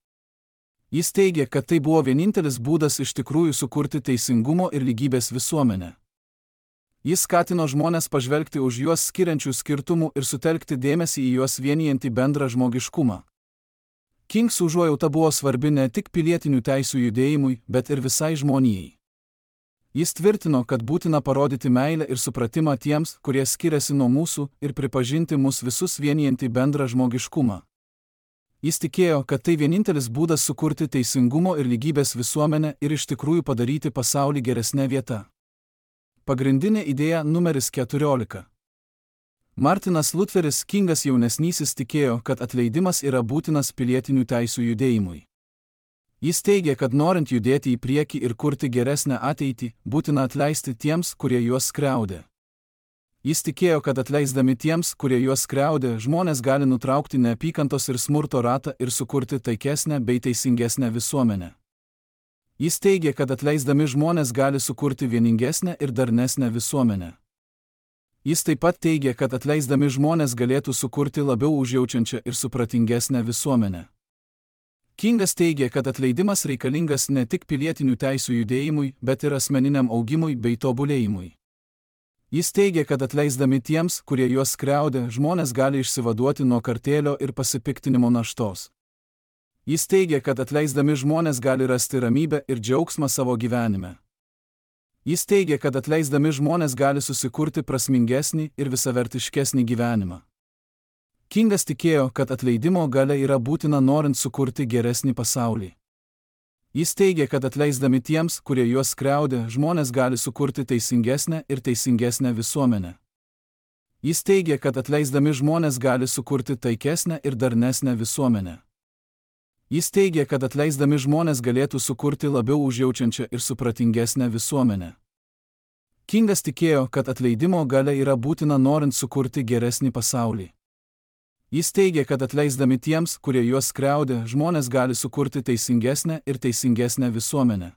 Speaker 1: Jis teigia, kad tai buvo vienintelis būdas iš tikrųjų sukurti teisingumo ir lygybės visuomenę. Jis skatino žmones pažvelgti už juos skiriančių skirtumų ir sutelkti dėmesį į juos vienijantį bendrą žmogiškumą. Kings užuojauta buvo svarbi ne tik pilietinių teisių judėjimui, bet ir visai žmonijai. Jis tvirtino, kad būtina parodyti meilę ir supratimą tiems, kurie skiriasi nuo mūsų, ir pripažinti mus visus vienijantį bendrą žmogiškumą. Jis tikėjo, kad tai vienintelis būdas sukurti teisingumo ir lygybės visuomenę ir iš tikrųjų padaryti pasaulį geresnę vietą. Pagrindinė idėja numeris keturiolika. Martinas Lutheris Kingas jaunesnysis tikėjo, kad atleidimas yra būtinas pilietinių teisių judėjimui. Jis teigia, kad norint judėti į priekį ir kurti geresnę ateitį, būtina atleisti tiems, kurie juos skriaudė. Jis tikėjo, kad atleisdami tiems, kurie juos skriaudė, žmonės gali nutraukti neapykantos ir smurto ratą ir sukurti taikesnę bei teisingesnę visuomenę. Jis teigia, kad atleisdami žmonės gali sukurti vieningesnę ir darnesnę visuomenę. Jis taip pat teigia, kad atleisdami žmonės galėtų sukurti labiau užjaučiančią ir supratingesnę visuomenę. Kingas teigia, kad atleidimas reikalingas ne tik pilietinių teisių judėjimui, bet ir asmeniniam augimui bei tobulėjimui. Jis teigia, kad atleisdami tiems, kurie juos skriaudė, žmonės gali išsivaduoti nuo kartėlio ir pasipiktinimo naštos. Jis teigia, kad atleisdami žmonės gali rasti ramybę ir džiaugsmą savo gyvenime. Jis teigia, kad atleisdami žmonės gali susikurti prasmingesnį ir visavertiškesnį gyvenimą. Kingas tikėjo, kad atleidimo galia yra būtina norint sukurti geresnį pasaulį. Jis teigia, kad atleisdami tiems, kurie juos skriaudė, žmonės gali sukurti teisingesnę ir teisingesnę visuomenę. Jis teigia, kad atleisdami žmonės gali sukurti taikesnę ir darnesnę visuomenę. Jis teigia, kad atleisdami žmonės galėtų sukurti labiau užjaučiančią ir supratingesnę visuomenę. Kingas tikėjo, kad atleidimo galia yra būtina norint sukurti geresnį pasaulį. Jis teigia, kad atleisdami tiems, kurie juos skriaudė, žmonės gali sukurti teisingesnę ir teisingesnę visuomenę.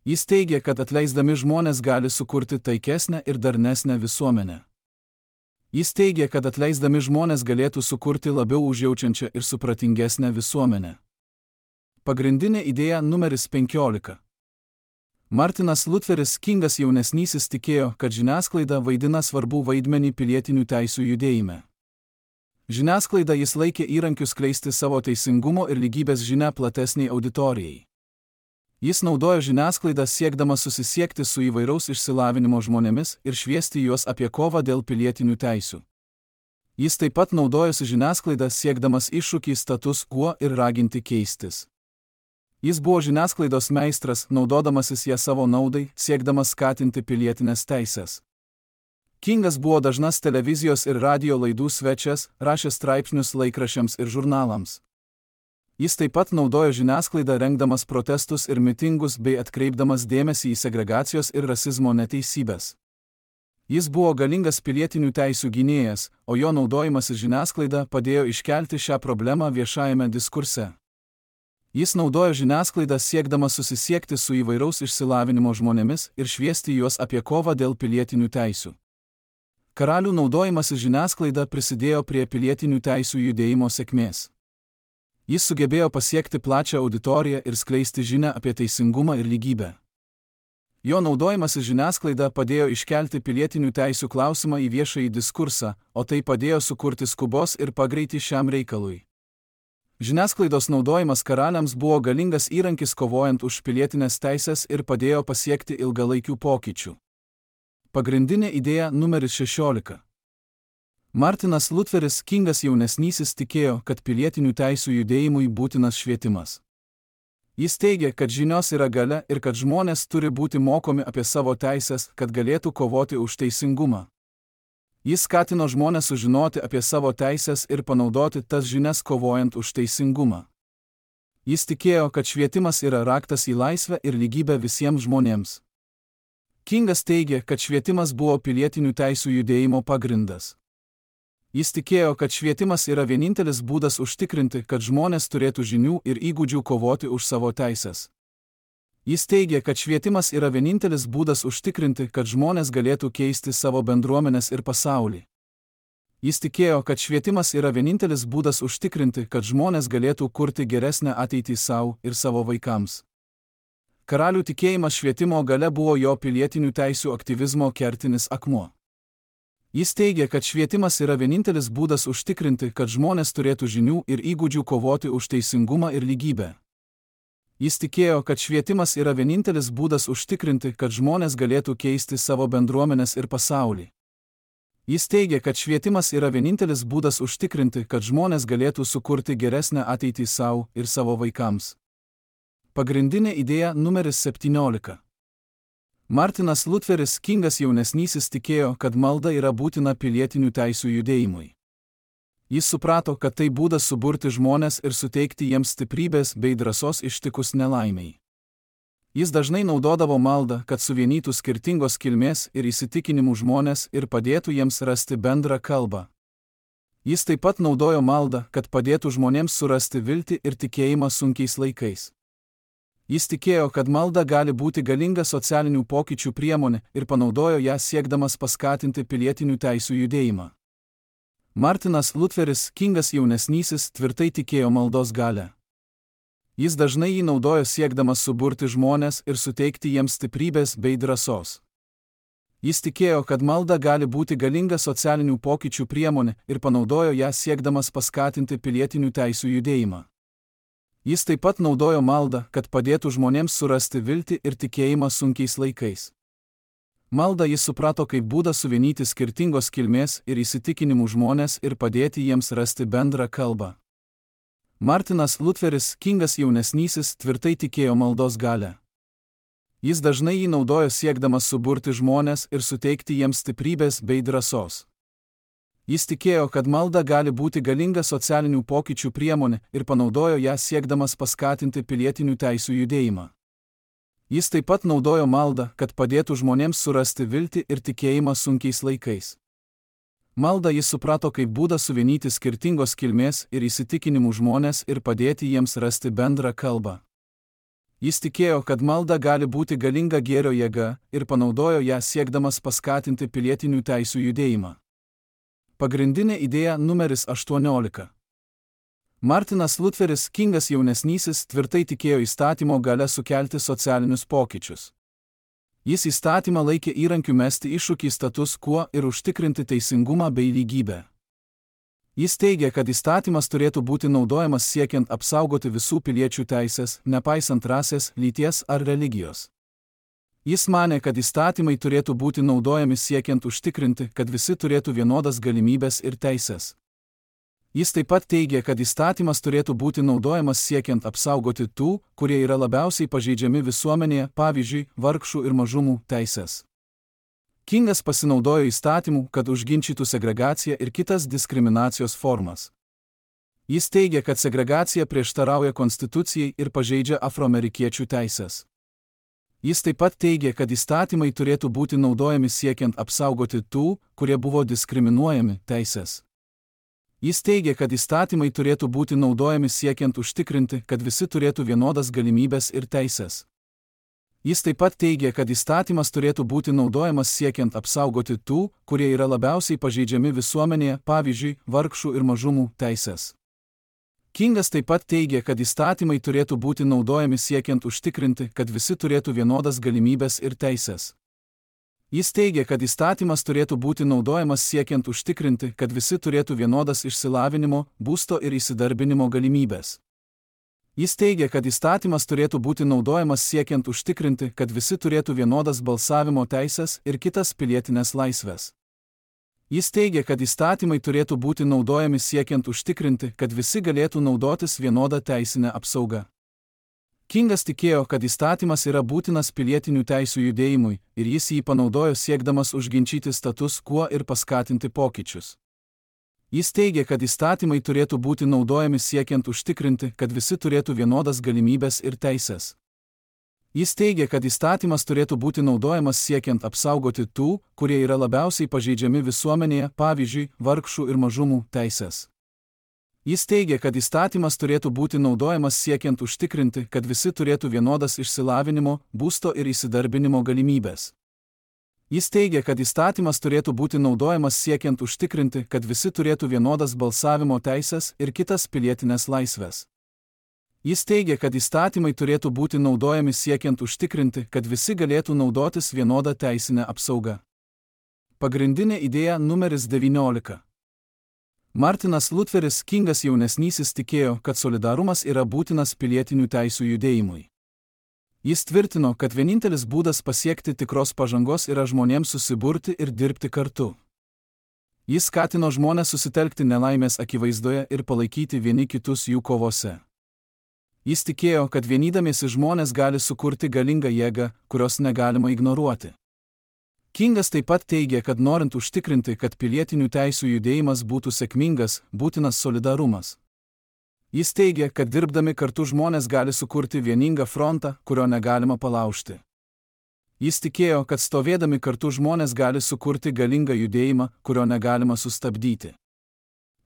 Speaker 1: Jis teigia, kad atleisdami žmonės gali sukurti taikesnę ir darnesnę visuomenę. Jis teigia, kad atleisdami žmonės galėtų sukurti labiau užjaučiančią ir supratingesnę visuomenę. Pagrindinė idėja numeris penkiolika. Martinas Lutheris Kingas jaunesnysis tikėjo, kad žiniasklaida vaidina svarbų vaidmenį pilietinių teisių judėjime. Žiniasklaida jis laikė įrankiu skleisti savo teisingumo ir lygybės žinią platesniai auditorijai. Jis naudojo žiniasklaidą siekdamas susisiekti su įvairaus išsilavinimo žmonėmis ir šviesti juos apie kovą dėl pilietinių teisių. Jis taip pat naudojosi žiniasklaidą siekdamas iššūkį status quo ir raginti keistis. Jis buvo žiniasklaidos meistras, naudodamasis ją savo naudai, siekdamas skatinti pilietinės teisės. Kingas buvo dažnas televizijos ir radijo laidų svečias, rašė straipsnius laikraščiams ir žurnalams. Jis taip pat naudojo žiniasklaidą rengdamas protestus ir mitingus bei atkreipdamas dėmesį į segregacijos ir rasizmo neteisybės. Jis buvo galingas pilietinių teisių gynėjas, o jo naudojimasis žiniasklaida padėjo iškelti šią problemą viešajame diskurse. Jis naudojo žiniasklaidą siekdamas susisiekti su įvairaus išsilavinimo žmonėmis ir šviesti juos apie kovą dėl pilietinių teisių. Karalių naudojimasis žiniasklaida prisidėjo prie pilietinių teisių judėjimo sėkmės. Jis sugebėjo pasiekti plačią auditoriją ir skleisti žinią apie teisingumą ir lygybę. Jo naudojimasis žiniasklaida padėjo iškelti pilietinių teisių klausimą į viešąjį diskursą, o tai padėjo sukurti skubos ir pagreitį šiam reikalui. Žiniasklaidos naudojimas karaliams buvo galingas įrankis kovojant už pilietinės teisės ir padėjo pasiekti ilgalaikių pokyčių. Pagrindinė idėja numeris šešiolika. Martinas Lutheris Kingas jaunesnysis tikėjo, kad pilietinių teisių judėjimui būtinas švietimas. Jis teigia, kad žinios yra galia ir kad žmonės turi būti mokomi apie savo teisės, kad galėtų kovoti už teisingumą. Jis skatino žmonės sužinoti apie savo teisės ir panaudoti tas žinias kovojant už teisingumą. Jis tikėjo, kad švietimas yra raktas į laisvę ir lygybę visiems žmonėms. Kingas teigia, kad švietimas buvo pilietinių teisių judėjimo pagrindas. Jis tikėjo, kad švietimas yra vienintelis būdas užtikrinti, kad žmonės turėtų žinių ir įgūdžių kovoti už savo teises. Jis teigė, kad švietimas yra vienintelis būdas užtikrinti, kad žmonės galėtų keisti savo bendruomenes ir pasaulį. Jis tikėjo, kad švietimas yra vienintelis būdas užtikrinti, kad žmonės galėtų kurti geresnę ateitį savo ir savo vaikams. Karalių tikėjimas švietimo gale buvo jo pilietinių teisių aktyvizmo kertinis akmuo. Jis teigė, kad švietimas yra vienintelis būdas užtikrinti, kad žmonės turėtų žinių ir įgūdžių kovoti už teisingumą ir lygybę. Jis tikėjo, kad švietimas yra vienintelis būdas užtikrinti, kad žmonės galėtų keisti savo bendruomenes ir pasaulį. Jis teigė, kad švietimas yra vienintelis būdas užtikrinti, kad žmonės galėtų sukurti geresnę ateitį savo ir savo vaikams. Pagrindinė idėja numeris septyniolika. Martinas Lutheris Kingas jaunesnysis tikėjo, kad malda yra būtina pilietinių teisių judėjimui. Jis suprato, kad tai būdas suburti žmonės ir suteikti jiems stiprybės bei drąsos ištikus nelaimiai. Jis dažnai naudodavo maldą, kad suvienytų skirtingos kilmės ir įsitikinimų žmonės ir padėtų jiems rasti bendrą kalbą. Jis taip pat naudojo maldą, kad padėtų žmonėms surasti viltį ir tikėjimą sunkiais laikais. Jis tikėjo, kad malda gali būti galinga socialinių pokyčių priemonė ir panaudojo ją siekdamas paskatinti pilietinių teisių judėjimą. Martinas Lutheris Kingas jaunesnysis tvirtai tikėjo maldos galią. Jis dažnai jį naudojo siekdamas suburti žmonės ir suteikti jiems stiprybės bei drąsos. Jis tikėjo, kad malda gali būti galinga socialinių pokyčių priemonė ir panaudojo ją siekdamas paskatinti pilietinių teisių judėjimą. Jis taip pat naudojo maldą, kad padėtų žmonėms surasti viltį ir tikėjimą sunkiais laikais. Maldą jis suprato kaip būdą suvienyti skirtingos kilmės ir įsitikinimų žmonės ir padėti jiems rasti bendrą kalbą. Martinas Lutheris Kingas jaunesnysis tvirtai tikėjo maldos galią. Jis dažnai jį naudojo siekdamas suburti žmonės ir suteikti jiems stiprybės bei drąsos. Jis tikėjo, kad malda gali būti galinga socialinių pokyčių priemonė ir panaudojo ją siekdamas paskatinti pilietinių teisių judėjimą. Jis taip pat naudojo maldą, kad padėtų žmonėms surasti viltį ir tikėjimą sunkiais laikais. Maldą jis suprato kaip būdą suvienyti skirtingos kilmės ir įsitikinimų žmonės ir padėti jiems rasti bendrą kalbą. Jis tikėjo, kad malda gali būti galinga gėrio jėga ir panaudojo ją siekdamas paskatinti pilietinių teisių judėjimą. Pagrindinė idėja numeris aštuoniolika. Martinas Lutheris Kingas jaunesnysis tvirtai tikėjo įstatymo gale sukelti socialinius pokyčius. Jis įstatymą laikė įrankiu mesti iššūkį status quo ir užtikrinti teisingumą bei lygybę. Jis teigė, kad įstatymas turėtų būti naudojamas siekiant apsaugoti visų piliečių teisės, nepaisant rasės, lyties ar religijos. Jis manė, kad įstatymai turėtų būti naudojami siekiant užtikrinti, kad visi turėtų vienodas galimybės ir teisės. Jis taip pat teigė, kad įstatymas turėtų būti naudojamas siekiant apsaugoti tų, kurie yra labiausiai pažeidžiami visuomenėje, pavyzdžiui, vargšų ir mažumų teisės. Kingas pasinaudojo įstatymų, kad užginčytų segregaciją ir kitas diskriminacijos formas. Jis teigė, kad segregacija prieštarauja konstitucijai ir pažeidžia afroamerikiečių teisės. Jis taip pat teigė, kad įstatymai turėtų būti naudojami siekiant apsaugoti tų, kurie buvo diskriminuojami, teisės. Jis teigė, kad įstatymai turėtų būti naudojami siekiant užtikrinti, kad visi turėtų vienodas galimybės ir teisės. Jis taip pat teigė, kad įstatymas turėtų būti naudojamas siekiant apsaugoti tų, kurie yra labiausiai pažeidžiami visuomenėje, pavyzdžiui, vargšų ir mažumų teisės. Kingas taip pat teigė, kad įstatymai turėtų būti naudojami siekiant užtikrinti, kad visi turėtų vienodas galimybės ir teisės. Jis teigė, kad įstatymas turėtų būti naudojamas siekiant užtikrinti, kad visi turėtų vienodas išsilavinimo, būsto ir įsidarbinimo galimybės. Jis teigė, kad įstatymas turėtų būti naudojamas siekiant užtikrinti, kad visi turėtų vienodas balsavimo teisės ir kitas pilietinės laisvės. Jis teigė, kad įstatymai turėtų būti naudojami siekiant užtikrinti, kad visi galėtų naudotis vienodą teisinę apsaugą. Kingas tikėjo, kad įstatymas yra būtinas pilietinių teisių judėjimui ir jis jį panaudojo siekdamas užginčyti status quo ir paskatinti pokyčius. Jis teigė, kad įstatymai turėtų būti naudojami siekiant užtikrinti, kad visi turėtų vienodas galimybės ir teisės. Jis teigia, kad įstatymas turėtų būti naudojamas siekiant apsaugoti tų, kurie yra labiausiai pažeidžiami visuomenėje, pavyzdžiui, vargšų ir mažumų teises. Jis teigia, kad įstatymas turėtų būti naudojamas siekiant užtikrinti, kad visi turėtų vienodas išsilavinimo, būsto ir įsidarbinimo galimybės. Jis teigia, kad įstatymas turėtų būti naudojamas siekiant užtikrinti, kad visi turėtų vienodas balsavimo teises ir kitas pilietinės laisvės. Jis teigia, kad įstatymai turėtų būti naudojami siekiant užtikrinti, kad visi galėtų naudotis vienodą teisinę apsaugą. Pagrindinė idėja numeris devyniolika. Martinas Lutheris Kingas jaunesnysis tikėjo, kad solidarumas yra būtinas pilietinių teisių judėjimui. Jis tvirtino, kad vienintelis būdas pasiekti tikros pažangos yra žmonėms susiburti ir dirbti kartu. Jis skatino žmones susitelkti nelaimės akivaizdoje ir palaikyti vieni kitus jų kovose. Jis tikėjo, kad vienydamiesi žmonės gali sukurti galingą jėgą, kurios negalima ignoruoti. Kingas taip pat teigia, kad norint užtikrinti, kad pilietinių teisių judėjimas būtų sėkmingas, būtinas solidarumas. Jis teigia, kad dirbdami kartu žmonės gali sukurti vieningą frontą, kurio negalima palaužti. Jis tikėjo, kad stovėdami kartu žmonės gali sukurti galingą judėjimą, kurio negalima sustabdyti.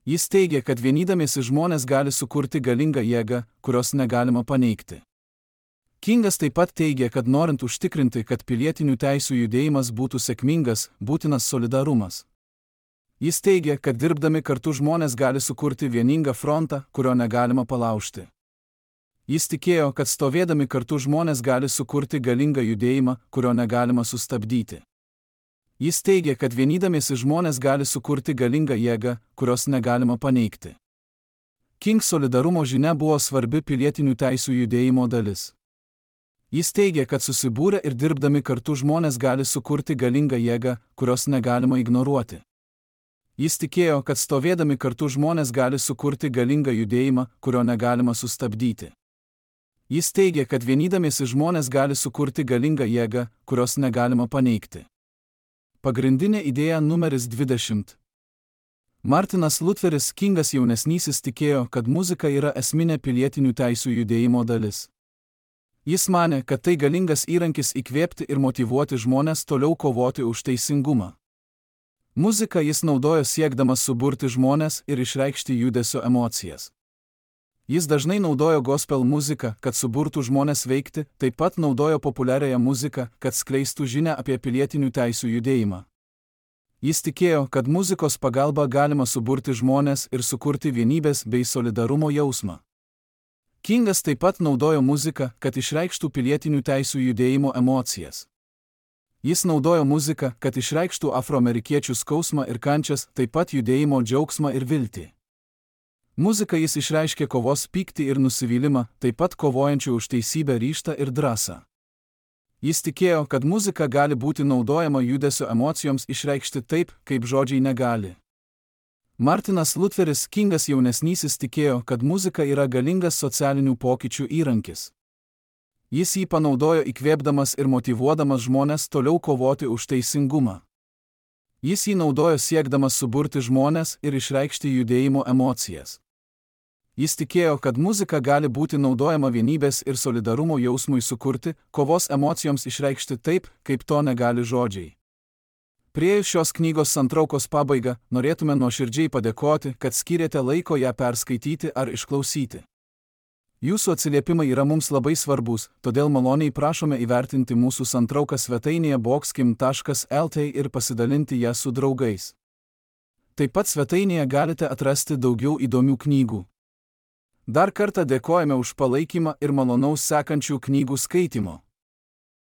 Speaker 1: Jis teigia, kad vienydamiesi žmonės gali sukurti galingą jėgą, kurios negalima paneigti. Kingas taip pat teigia, kad norint užtikrinti, kad pilietinių teisių judėjimas būtų sėkmingas, būtinas solidarumas. Jis teigia, kad dirbdami kartu žmonės gali sukurti vieningą frontą, kurio negalima palaužti. Jis tikėjo, kad stovėdami kartu žmonės gali sukurti galingą judėjimą, kurio negalima sustabdyti. Jis teigia, kad vienydamiesi žmonės gali sukurti galingą jėgą, kurios negalima paneigti. King solidarumo žinia buvo svarbi pilietinių teisių judėjimo dalis. Jis teigia, kad susibūrę ir dirbdami kartu žmonės gali sukurti galingą jėgą, kurios negalima ignoruoti. Jis tikėjo, kad stovėdami kartu žmonės gali sukurti galingą judėjimą, kurio negalima sustabdyti. Jis teigia, kad vienydamiesi žmonės gali sukurti galingą jėgą, kurios negalima paneigti. Pagrindinė idėja numeris dvidešimt. Martinas Lutheris Kingas jaunesnysis tikėjo, kad muzika yra esminė pilietinių teisių judėjimo dalis. Jis manė, kad tai galingas įrankis įkvėpti ir motyvuoti žmones toliau kovoti už teisingumą. Muziką jis naudojo siekdamas suburti žmones ir išreikšti judesio emocijas. Jis dažnai naudojo gospel muziką, kad suburtų žmones veikti, taip pat naudojo populiariąją muziką, kad skleistų žinią apie pilietinių teisių judėjimą. Jis tikėjo, kad muzikos pagalba galima suburti žmones ir sukurti vienybės bei solidarumo jausmą. Kingas taip pat naudojo muziką, kad išreikštų pilietinių teisių judėjimo emocijas. Jis naudojo muziką, kad išreikštų afroamerikiečių skausmą ir kančias, taip pat judėjimo džiaugsmą ir viltį. Muzika jis išreiškė kovos pyktį ir nusivylimą, taip pat kovojančių už teisybę ryžtą ir drąsą. Jis tikėjo, kad muzika gali būti naudojama judesio emocijoms išreikšti taip, kaip žodžiai negali. Martinas Lutheris Kingas jaunesnysis tikėjo, kad muzika yra galingas socialinių pokyčių įrankis. Jis jį panaudojo įkvėpdamas ir motyvuodamas žmones toliau kovoti už teisingumą. Jis jį naudojo siekdamas suburti žmones ir išreikšti judėjimo emocijas. Jis tikėjo, kad muzika gali būti naudojama vienybės ir solidarumo jausmui sukurti, kovos emocijoms išreikšti taip, kaip to negali žodžiai. Priėjus šios knygos santraukos pabaigą, norėtume nuoširdžiai padėkoti, kad skyrėte laiko ją perskaityti ar išklausyti. Jūsų atsiliepimai yra mums labai svarbus, todėl maloniai prašome įvertinti mūsų santrauką svetainėje boxkim taškas el t ir pasidalinti ją su draugais. Taip pat svetainėje galite atrasti daugiau įdomių knygų. Dar kartą dėkojame už palaikymą ir malonaus sekančių knygų skaitimo.